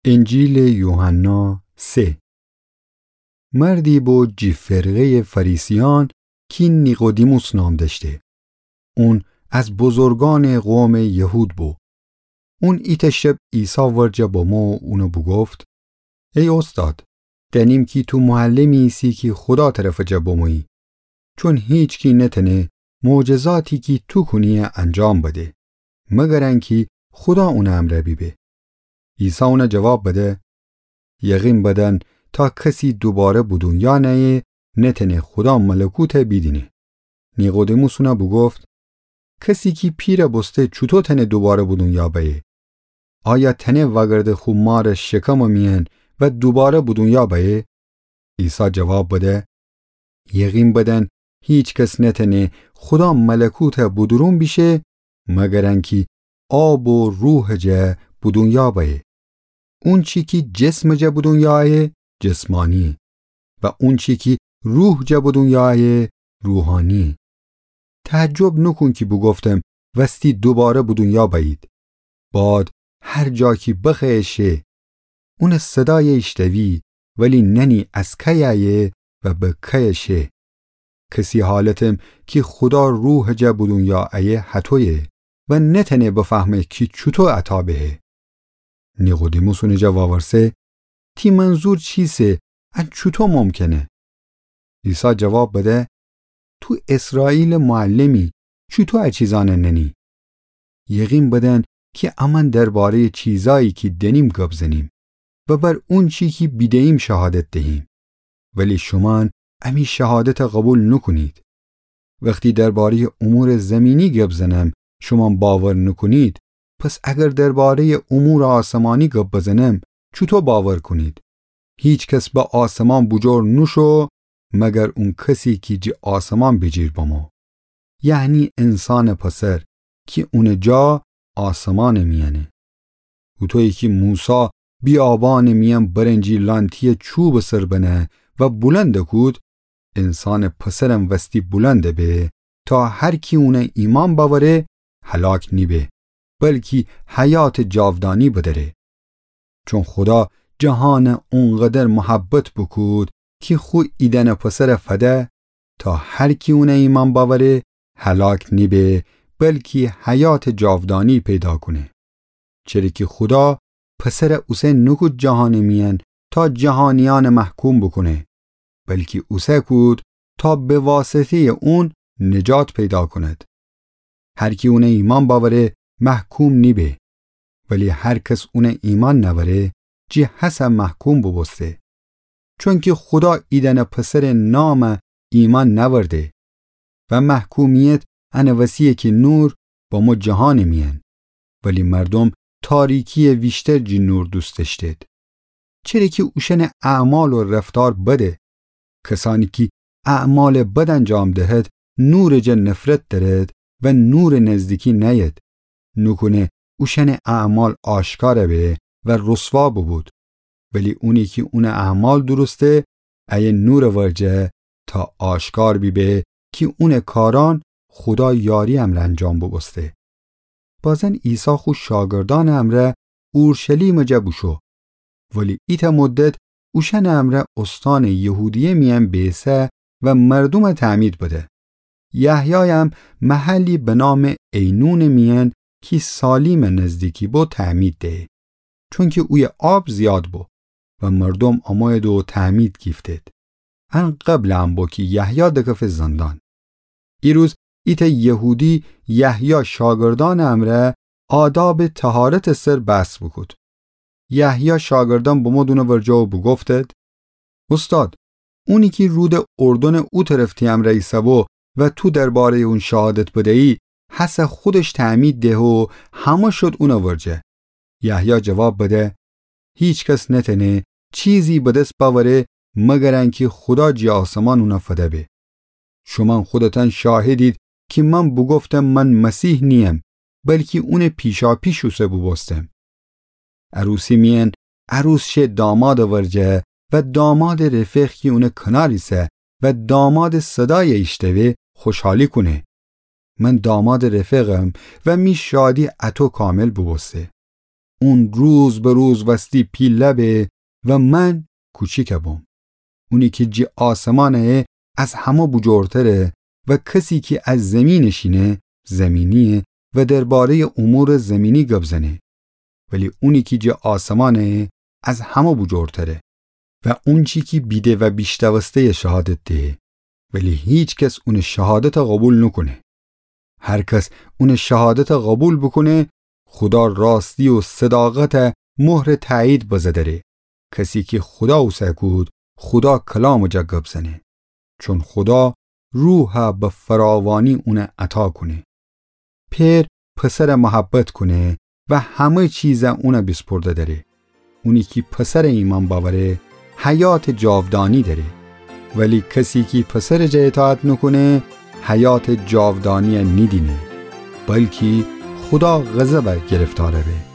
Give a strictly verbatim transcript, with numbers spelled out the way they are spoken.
انجیلٚ یوحنا سه. مردی بو جٚه فرقه‌یٚ فریسیأن کی نیقودیموس نام دأشته. اون از بزرگأنٚ قومٚ یهود بو. اون ایتأ شب عیسی ورجه بمو اون بوگفت: ای اوستاد، دأنیم کی تو معلمی ایسی کی خودا طرفٚ جا بمویی، چون هیچکی نتأنه معجزاتی کی تو کونی انجام بده، مگر انکی خودا اونٚ امرأ بیبه. عیسی اون جواب بده: یقین بدن، تا کسی دوباره به دونیا نأیه، نتأنه خودا ملکوت بیدینه. نیقودیموس اون بوگفت: کسی کی پیر بوسته چوطو تأنه دوباره به دونیا بأیه؟ آیا تأنه وأگرده خو مارٚ شکمٚ میأن و دوباره به دونیا بأیه؟ عیسی جواب بده: یقین بدن، هیکس نتأنه خودا ملکوت به دورون بیشه، مگر انکی آب و روحٚ جا به دونیا بأیه. اونچی کی جسمٚ جا به دونیا آیه، جسمانیه، و اونچی کی روحٚ جا به دونیا آیه، روحانیه. تعجب نوکون کی بوگفتم وستی دوباره به دونیا بأیید. باد هر جا کی بخوأیه شه، اونٚ صدای ایشتوی، ولی نأنی از کی آیه و به کی شه. کسی حالتم کی خودا روحٚ جا به دونیا آیه هطویه و نتأنه بفهمه کی چوطو عطا بهه. نیقودیموس اون جا وورسه: تی منظور چیسه؟ ان چوطو ممکنه؟ عیسی جواب بده: تو اسرائیلٚ معلمی، چوطو ا چیزأن نأنی؟ یقین بدن کی امأن درباره‌یٚ چیزایی کی دأنیم گب زنیم و بر اونچی کی بیده‌ییم شهادت دهیم، ولی شومأن امی شهادت قوبیل نوکونید. وختی درباره‌یٚ امورٚ زیمینی گب زنم، شومأن باور نوکونید، پس اگر درباره‌یٚ امورٚ آسمانی گب بزنم، چوطو باور کونید؟ هیکس به آسمان بوجور نوشو، مگر اون کسی کی جٚه آسمان بیجیر بمو، یعنی انسانٚ پسر کی اونٚ جا آسمانٚ میأنه. هوطویی کی موسی بیابانٚ میأن برنجی لانتییٚ چوبٚ سر بنه و بلند کود، انسانٚ پسرم وستی بلند به، تا هر کی اون ایمأن بأوره، هلاک نیبه، بلکی حیاتٚ جاودانی بدأره. چون خودا جهان اونقدر محبت بوکود کی خو ایدأنٚ پسر فده، تا هر کی اون ایمأن بأوره، هلاک نیبه، بلکی حیاتٚ جاودانی پیدا کونه. چره کی خودا پسر اوسه نوکود جهانٚ میأن تا جهانیأن محکوم بوکونه، بلکی اوسه کود تا به واسطه‌یٚ اون نجات پیدا کند. هر کی اون ایمأن بأوره، محکوم نیبه، ولی هر کس اون ایمأن نأوره، جٚه هسه محکوم بوبوسته. چونکی خودا ایدأنٚ پسرٚ نام ایمأن نأورده و محکومیت انٚ وسییه کی نور بمو جهانٚ میأن، ولی مردوم تاریکییٚ ویشتر جٚه نور دوست دأشتید، چره کی اوشأنٚ اعمال و رفتار بده. کسأنی کی اعمالٚ بد انجام دهد، نورٚ جا نفرت دأرد و نورٚ نزدیکی نأید، نوکونه اوشأنٚ اعمال آشکار به و رسوا بوبود. ولی اونی کی اونٚ اعمال درسته، ایه نورٚ ورجه تا آشکار بیبه کی اونٚ کارأن خودا یاری امرأ انجام بوبوسته. بازن عیسی خو شاگردأنٚ امرأ اورشلیمٚ جا بوشو، ولی ایتأ مدت اوشأنٚ امرأ اوستانٚ یهودیه میأن بیسه و مردوم تعمید بده. یحیایم محلی به نامٚ عینونٚ میأن کی سالیمٚ نزدیکی بو تعمید دهه، چونکی اویه آب زیاد بو و مردوم امویید و تعمید گیفتید. ان قبلٚ ان بو کی یحیی دکفه زندان. ایروز ایتأ یهودی یحیی شاگردأنٚ امرأ آدابٚ طهارتٚ سر بحث بوکود. یحیی شاگردأن بمود اونٚ ورجه و بوگفتید: اوستاد، اونی کی رودٚ اردنٚ او طرف تی امرأ ایسه‌بو و تو درباره‌یٚ اون شهادت بدیی، هسه خودش تعمید دهه و همه شود اونٚ ورجه. یحیی جواب بده: هیکس نتأنه چیزی به دس بأوره مگر انکی خودا جٚه آسمان اون فده به. شومأن خودتأن شاهدید کی من بوگفتم من مسیح نییم، بلکی اونٚ پیشاپیش اوسه بوبوستم. عروسی میأن عروس شه دامادٚ ورجه و دامادٚ رفیق کی اونٚ کنار ایسه و دامادٚ صدای ایشتوه خوشحالی کونه. من دامادٚ رفیقم و می شادی اطو کامل بوبوسته. اون روز به روز وستی پیله به و من کوچیکه بوم. اونی کی جی آسمانه از همه بوجورتره و کسی کی از زمین شینه زمینیه و درباره‌ی امور زمینی گب زنه. ولی اونی کی جی آسمانه از همه بوجورتره و اونچی کی بیده و بیشتوسته‌یه شهادت دهه، ولی هیکس اون شهادته قوبیل نوکونه. هر کس اون شهادته قوبیل بوکونه، خودا راستی و صداقته مهر تأیید بزه دره. کسی کی خودا اوسه کود، خودا کلامٚ جا گب زنه. چون خودا روحه به فراوانی اونه عطا کونه. پئر پسره محبت کونه و همه چیزه اونه بیسپرده دره. اونی کی پسره ایمأن بأوره، حیاتٚ جاودانی دره. ولی کسی کی پسرٚ جا اطاعت نوکونه، حیاتٚ جاودانیه نیدینه، بلکی خودا غضبه گرفتاره به.